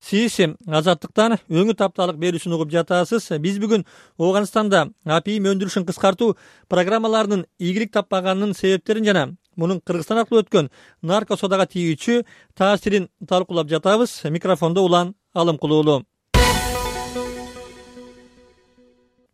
Сиз Азаттыктан өңү тапталык берүүсүн угуп жатасыз. Биз бүгүн Ооганстанда апийим өндүрүшүн кыскартуу программаларынын ийгилик таппаганынын себептерин жана мунун Кыргызстан аркылуу өткөн нарко содага тийүүчү таасирин талкуулап жатабыз. Микрофондо Улан Алымкулуулу.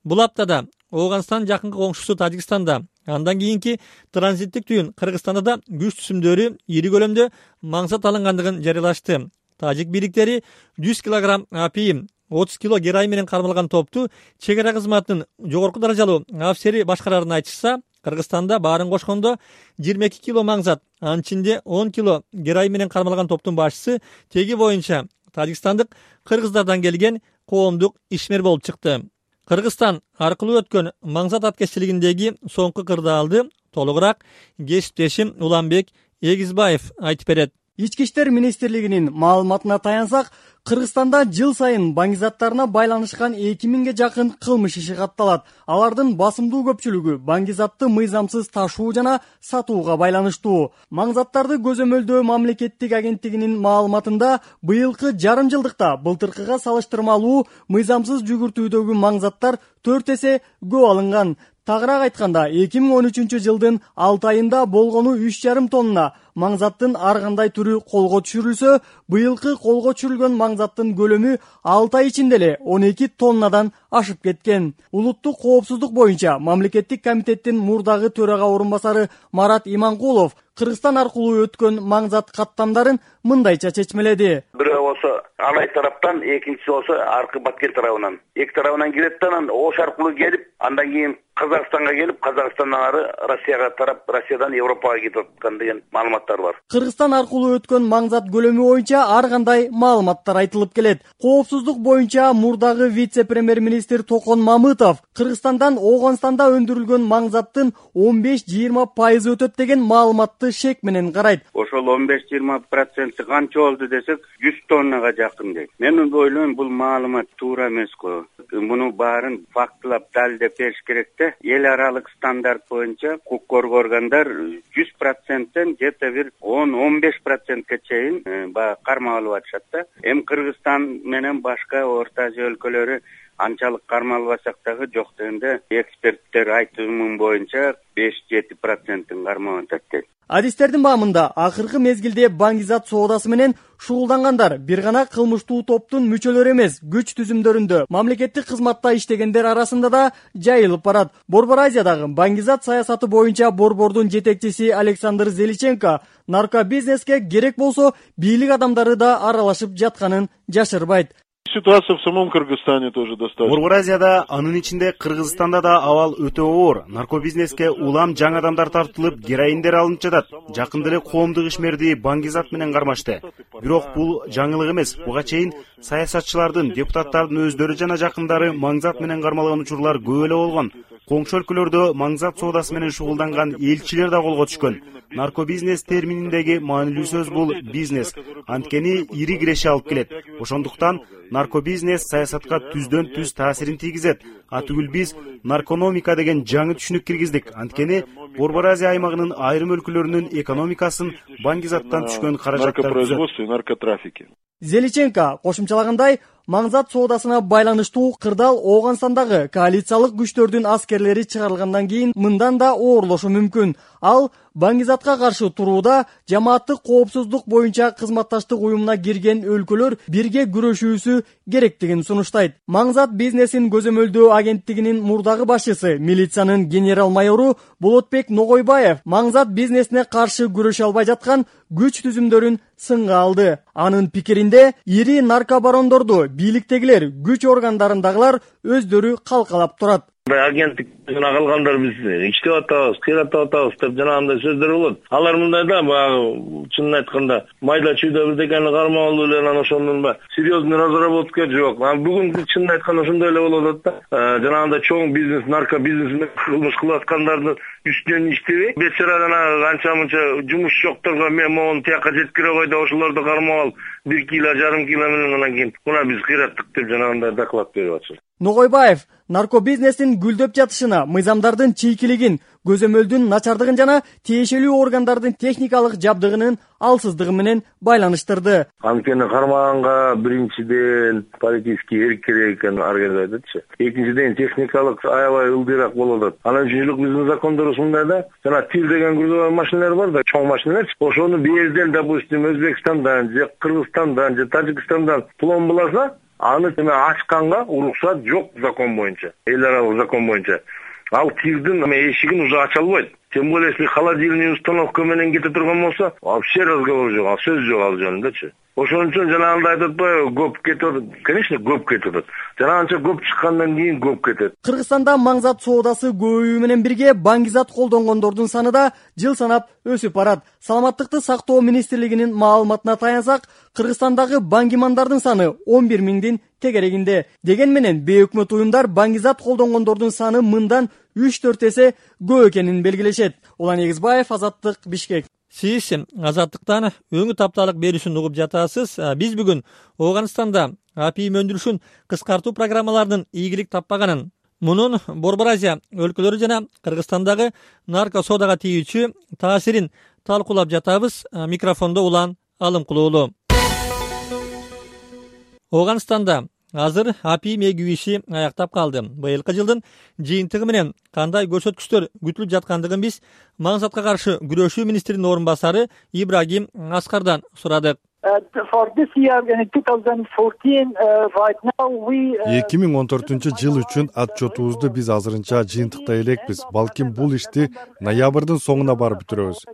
Бул аптада Ооганстан жакынкы коңшусу Тажикстанда, андан кийинки транзиттик түйүн Кыргызстанда да күч түсүмдөрү ири көлөмдө маңзат алынгандыгын жарыялашты. Тажик бийликтери 100 килограмм апийим, 30 кило героин менен кармалган топту чек ара кызматынын жогорку даражалуу афисери башкарарын айтышса, Кыргызстанда баарын кошкондо 22 кило маңзат, анын ичинде 10 кило героин менен кармалган топтун башчысы теги боюнча тажикстандык кыргыздардан келген коомдук ишмер болуп чыкты. Кыргызстан аркылуу өткөн маңзат аткеччилигиндеги соңку кырдаалды толугураак кесиптешим Уланбек Эгизбаев айтып берет. Ички иштер министрлигинин маалыматына таянсак, Кыргызстанда жыл сайын баңгизаттарына байланышкан 2000ге жакын кылмыш иши катталат. Алардын басымдуу көпчүлүгү баңгизатты мыйзамсыз ташуу жана сатууга байланыштуу. Маңзаттарды көзөмөлдөө мамлекеттик агенттигинин маалыматында быйылкы жарым жылдыкта былтыркыга салыштырмалуу мыйзамсыз жүгүртүүдөгү маңзаттар 4 эсе көп алынган. Тагыраак айтканда, 2013 жылдын 6 айында болгону 3,5 тонна маңзаттын ар кандай түрү колго түшүрүлсө, быйылкы колго түшүрүлгөн маңзаттын көлөмү 6 ай ичинде эле 12 тоннадан ашып кеткен. Улуттук коопсуздук боюнча мамлекеттик комитеттин мурдагы төрага орун басары Марат Иманкулов Кыргызстан аркылуу өткөн маңзат каттамдарын мындайча чечмеледи. Бирөө болсо Алай тараптан, экинчиси болсо аркы Баткен тарабынан. Эки тарабынан келет да, анан Ош аркылуу келип, андан кийин Казакстанга келип, Казакстандан ары Россияга тарап, Россиядан Европага кетип аткан деген маалыматтар бар. Кыргызстан аркылуу өткөн маңзат көлөмү боюнча ар кандай маалыматтар айтылып келет. Коопсуздук боюнча мурдагы вице-премьер-министр Токон Мамытов Кыргызстандан Ооганстанда өндүрүлгөн маңзаттын 15-20% өтөт деген маалыматты шек менен карайт. Ошол 15-20% канча болду десек, 100 тоннага жакын дейт. Мен ойлойм, бул маалымат туура эмес го. Муну баарын фактылап далилдеп бериш керек да. Эл аралык стандарт боюнча укук коргоо органдар 100%тен где-то бир 10-15%ке чейин кармалып атышат да. Эми Кыргызстан менен башка Орто Азия өлкөлөрү анчалык кармалбасак дагы жок дегенде эксперттер айтымы боюнча 5-7%-ын кармап атат дейт. Адистердин баамында акыркы мезгилде баңгизат соодасы менен шугулдангандар бир гана кылмыштуу топтун мүчөлөрү эмес, күч түзүмдөрүндө мамлекеттик кызматта иштегендер арасында да жайылып барат. Борбор Азиядагы баңгизат саясаты боюнча борбордун жетекчиси Александр Зеличенко наркобизнеске керек болсо бийлик адамдары да аралашып жатканын жашырбайт. Ситуация в самом Кыргызстане тоже достаточно. Борбор Азияда, анын ичинде Кыргызстанда да абал өтө оор. Наркобизнеске улам жаңы адамдар тартылып, героиндер алынып жатат. Жакында эле коомдук ишмерди баңгизат менен кармашты. Бирок бул жаңылык эмес. Буга чейин саясатчылардын, депутаттардын өздөрү жана жакындары маңзат менен кармалган учурлар көп эле болгон. Коңшу өлкөлөрдө маңзат соодасы менен шугулданган элчилер да колго түшкөн. Наркобизнес термининдеги маанилүү сөз бул бизнес. Анткени ири киреше алып келет. Ошондуктан наркобизнес саясатка түздөн түз таасирин тийгизет. Атүгүл биз наркономика деген жаңы түшүнүк киргиздик. Анткени Борбор Азия аймагынын айрым өлкөлөрүнүн экономикасын баңгизаттан түшкөн каражаттар наркопроизводство и наркотрафики. Зеличенко кошумчалагандай, маңзат соодасына байланыштуу кырдаал Ооганстандагы коалициялык күчтөрдүн аскерлери чыгарылгандан кийин мындан да оорлошу мүмкүн. Ал баңгизатка каршы турууда жамааттык коопсуздук боюнча кызматташтык уюмуна кирген өлкөлөр бирге күрөшүүсү керектигин сунуштайт. Маңзат бизнесин көзөмөлдөө агенттигинин мурдагы башчысы, милициянын генерал майору Болотбек Ногойбаев маңзат бизнесине каршы күрөшө албай жаткан күч түзүмдөрүн сынга алды. Анын пикиринде, ири наркобарондорду бийликтегилер, күч органдарындагылар өздөрү калкалап турат. Агенттик жана калгандар биз иштеп атабыз, кыйратып атабыз деп жанагындай сөздөр болот. Алар мындай да, баягы чынын айтканда майда чүйдө бирдекени кармап алуу эле анан ошондун серьезный разработка жок. Бүгүн чынын айтканда ошондой эле болуп атат да. Жанагындай чоң бизнес, наркобизнес кылмыш кылып аткандардын үстүнөн иштебей, бечара анча мынча жумуш жокторго мен могуну тияка жеткире кой деп ошолорду кармап алып 1,5 кило менен анан кийин мына биз кыйраттык деп жанагындай доклад берип атышат. Ногойбаев наркобизнестин гүлдөп жатышына, мыйзамдардын чийкилигин, көзөмөлдүн начардыгын жана тиешелүү органдардын техникалык жабдыгынын алсыздыгы менен байланыштырды. Анткени кармаганга биринчиден политический эркирээк экен организациячы. Экинчиден техникалык аябай ылдыйраак болуп атат. Анан үчүнчүлүк биздин закондорубуз мындай да, жана тир деген грузовой машиналар бар да, чоң машиналарчы. Ошону бээрден, допустим, Өзбекстандан же Кыргызстандан же Тажикстандан пломбаласа, аны ачканга уруксат жок закон боюнча, эл аралык закон боюнча. Ал тирдин эшигин уже ача албайт. Тем более, если холодильный установка менен кете турган болсо, вообще разговор жок, ал сөз жок ал жөнүндө. Ошон үчүн жанагындай айтып атпайбы, көп кетет. Конечно, көп кетет. Жана анча көп чыккандан кийин көп кетет. Кыргызстанда маңзат соодасы көбөйүү менен бирге баңгизат колдонгондордун саны да жыл санап өсүп барат. Саламаттыкты сактоо министрлигинин маалыматына таянсак, Кыргызстандагы баңгимандардын саны 11 миңдин тегерегинде. Деген менен бейөкмөт уюмдар баңгизат колдонгондордун саны мындан 3-4 эсе көп экенин белгилешет. Улан Эгизбаев, Азаттык, Бишкек. Сиз Азаттыктан өңү тапталык берүүсүн угуп жатасыз. Биз бүгүн Ооганстанда апийим өндүрүшүн кыскартуу программаларынын ийгилик таппаганын, мунун Борбор Азия өлкөлөрү жана Кыргызстандагы нарко соодага тийүүчү таасирин талкуулап жатабыз. Микрофондо Улан Алымкулуулу. Ооганстанда азыр апийим эгүү иши аяктап калды. Быйылкы жылдын жыйынтыгы менен кандай көрсөткүчтөр күтүлүп жаткандыгын биз маңзатка каршы күрөшүү министринин орун басары Ибрагим Аскардан сурадык. 2014 жыл үчүн отчетубузду биз азырынча жыйынтыктай элекпиз. Балким бул ишти ноябрдын соңуна барып бүтүрөбүз.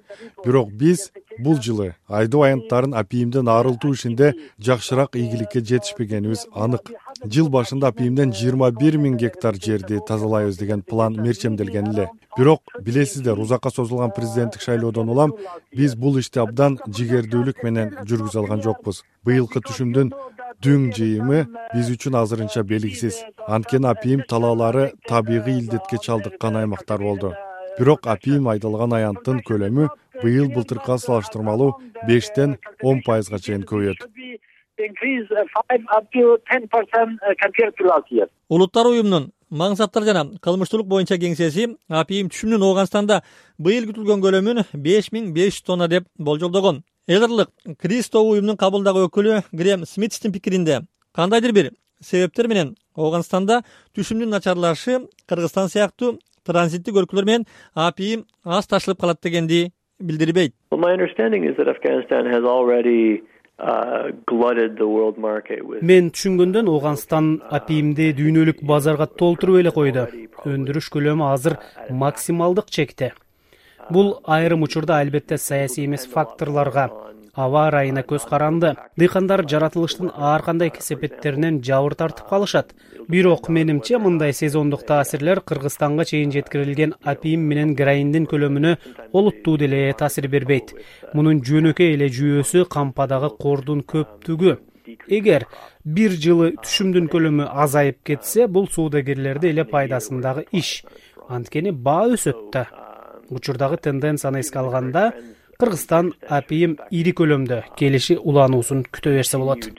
Бирок биз бул жылы айдоо аянттарын апийимден арылтуу ишинде жакшыраак ийгиликке жетишпегенибиз анык. Жыл башында апийимден 21 миң гектар жерди тазалайбыз деген план мерчемделген эле. Бирок билесиздер, узакка созулган президенттик шайлоодон улам биз бул ишти абдан жигердүүлүк менен жүргүзө алган жокпуз. Быйылкы түшүмдүн дүң жыйымы биз үчүн азырынча белгисиз. Анткени апийим талаалары табигый илдетке чалдыккан аймактар болду. Бирок апийим айдалган аянттын көлөмү быйыл былтыркыга салыштырмалуу 5-10% чейин көбөйөт. Улуттар уюмунун маңзаттар жана кылмыштуулук боюнча кеңсеси апийим түшүмүнүн Ооганстанда быйыл күтүлгөн көлөмүн 5500 тонна деп болжолдогон. Элдерлык Кристо уюмунун кабылдагы өкүлү Грем Смитстин пикиринде, кандайдыр бир себептер менен Ооганстанда түшүмдүн начарлашы Кыргызстан сыяктуу транзиттик өлкөлөр менен апийим аз ташылып калат дегенди билдирбейт. Мен түшүнгөндөн Ооганстан апийимди дүйнөлүк базарга толтуруп эле койду. Өндүрүш көлөмү азыр максималдык чекте. Бул айрым учурда албетте саясий эмес факторлорго, аба ырайына көз каранды. Дыйкандар жаратылыштын ар кандай кесепеттеринен жабыр тартып калышат. Бирок менимче мындай сезондук таасирлер Кыргызстанга чейин жеткирилген апийим менен героиндин көлөмүнө олуттуу деле таасир бербейт. Мунун жөнөкөй эле жүйөсү кампадагы кордун көптүгү. Эгер бир жылы түшүмдүн көлөмү азайып кетсе, бул соодагерлерди эле пайдасындагы иш. Анткени баа өсөт да. Учурдагы тенденцияны эске алганда, Кыргызстан апийим ири көлөмдө келиши улануусун күтө берсе болот.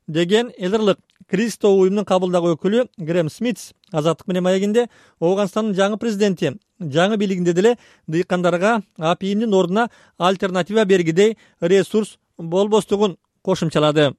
Деген элдерлык Кристо уюмунун кабылдагы өкүлү Грем Смитс Азаттык менен маегинде Ооганстандын жаңы президенти жаңы бийлигинде деле дыйкандарга апийимдин ордуна альтернатива бергидей ресурс болбостугун кошумчалады.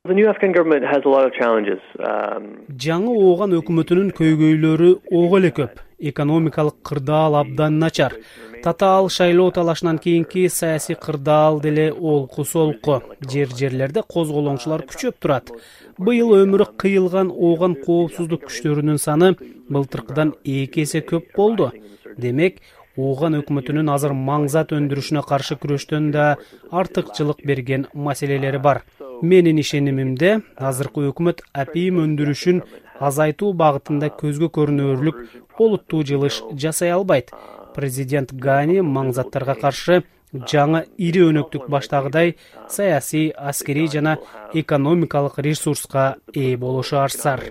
Жаңы Ооган өкмөтүнүн көйгөйлөрү ого эле көп. Экономикалык кырдаал абдан начар. Татаал шайлоо талашынан кийинки саясий кырдаал деле олку-солку. Жерлерде козголоңчулар күчөп турат. Быйыл өмүрү кыйылган Ооган коопсуздук күчтөрүнүн саны былтыркыдан 2 эсе көп болду. Демек, Ооган өкмөтүнүн азыр маңзат өндүрүшүнө каршы күрөштөн да артыкчылык берген маселелери бар. Менин ишенимимде, азыркы өкмөт апийим өндүрүшүн азайтуу багытында көзгө көрүнөрлүк олуттуу жылыш жасай албайт. Президент Гани маңзаттарга каршы жаңы ири өнөктүк баштагыдай саясий, аскерий жана экономикалык ресурска ээ болушу арзар.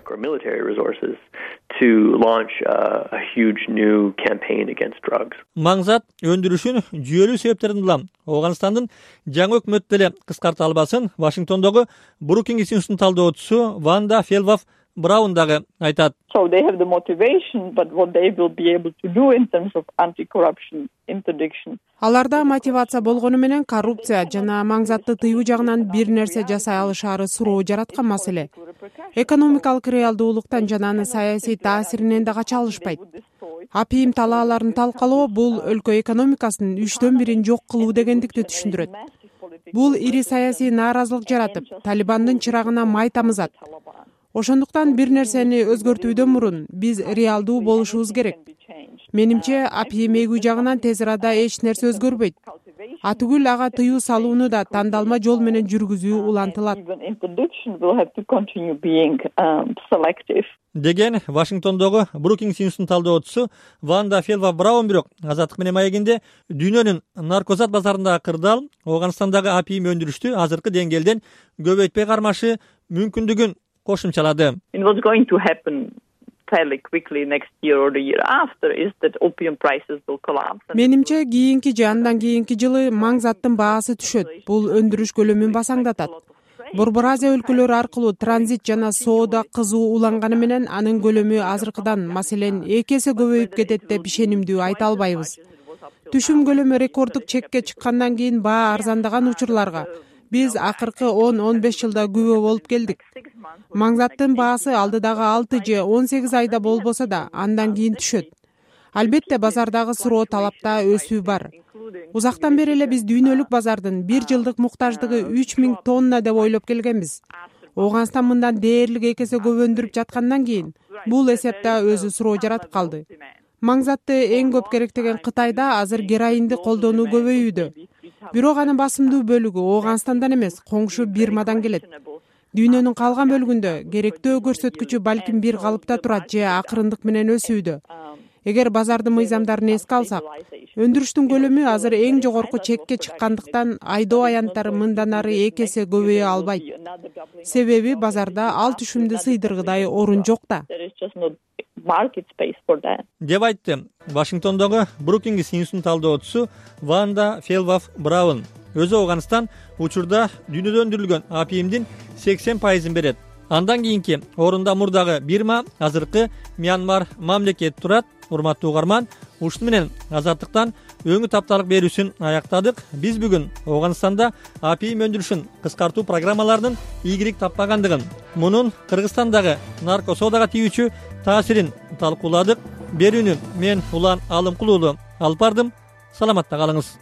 Маңзат өндүрүшүн жүйөлүү себептерден улам Ооганстандын жаңы өкмөт деле кыскарта албасын Вашингтондогу Брукингс институтунун талдоочусу Ванда Фелваф Браун дагы айтат. So they have the motivation, but what they will be able to do in terms of anti-corruption interdiction. Аларда мотивация болгону менен коррупция жана маңзатты тыюу жагынан бир нерсе жасай алышаары суроо жараткан маселе. Экономикалык реалдуулуктан жана анын саясий таасиринен да кача алышпайт. Апийим талааларын талкалоо бул өлкө экономикасынын 1/3 жок кылуу дегендикти түшүндүрөт. Бул ири саясий нааразылык жаратып, Талибандын чырагына май тамызат. Ошондуктан бир нерсени өзгөртүүдөн мурун биз реалдуу болушубуз керек. Менимче, апийим эгүү жагынан тез арада эч нерсе өзгөрбөйт. Атүгүл ага тыюу салууну да тандалма жол менен жүргүзүү улантылат. Деген Вашингтондогу Brookings Institute'нун талдоочусу Ванда Фелва Браун. Бирок Азаттык менен маегинде дүйнөнүн наркозат базарындагы кырдаал Ооганстандагы апийим өндүрүштү азыркы деңгээлден көбөйтпөй кармашы мүмкүндүгүн кошумчалады. Менимче, кийинки же андан кийинки жылы маңзаттын баасы түшөт. Бул өндүрүш көлөмүн басаңдатат. Борбор Азия өлкөлөрү аркылуу транзит жана соода кызуу уланганы менен анын көлөмү азыркыдан, маселен, 2 эсе көбөйүп кетет деп ишенимдүү айта албайбыз. Түшүм көлөмү рекорддук чекке чыккандан кийин баа арзандаган учурларга биз акыркы 10-15 жылда күбө болуп келдик. Маңзаттын баасы алдыдагы 6 же 18 айда болбосо да андан кийин түшөт. Албетте базардагы суроо талапта өсүү бар. Узактан бери эле биз дүйнөлүк базардын 1 жылдык муктаждыгы 3000 тонна деп ойлоп келгенбиз. Ооганстан мындан дээрлик 2 эсе көп өндүрүп жаткандан кийин бул эсепте өзү суроо жаратып калды. Маңзатты эң көп керектеген Кытайда азыр героинди колдонуу көбөйүүдө. Бирок анын басымдуу бөлүгү Ооганстандан эмес, коңшу Бирмадан келет. Дүйнөнүн калган бөлүгүндө керектөө көрсөткүчү балким бир калыпта турат же акырындык менен өсүүдө. Эгер базардын мыйзамдарын эске алсак, өндүрүштүн көлөмү азыр эң жогорку чекке чыккандыктан айдоо аянттары мындан ары 2 эсе көбөйө албайт. Себеби базарда ал түшүмдү сыйдыргыдай орун жок да. Деп айтты Вашингтондогу Brookings Institute'нун талдоочусу Ванда Фелва Браун. Өзү Ооганстан учурда дүйнөдө өндүрүлгөн апийимдин 80% берет. Андан кийинки орунда мурдагы Бирма, азыркы Мьянмар мамлекет турат. Урматтуу угарман, ушуну менен Азаттыктан өңү тапталык берүүсүн аяктадык. Биз бүгүн Ооганстанда апийим өндүрүшүн кыскартуу программаларынын ийгилик таппагандыгын, мунун Кыргызстандагы нарко соодага тийүүчү таасирин талкууладык. Берүүнү мен Улан Алымкулуулу алып бардым. Саламатта калыңыз.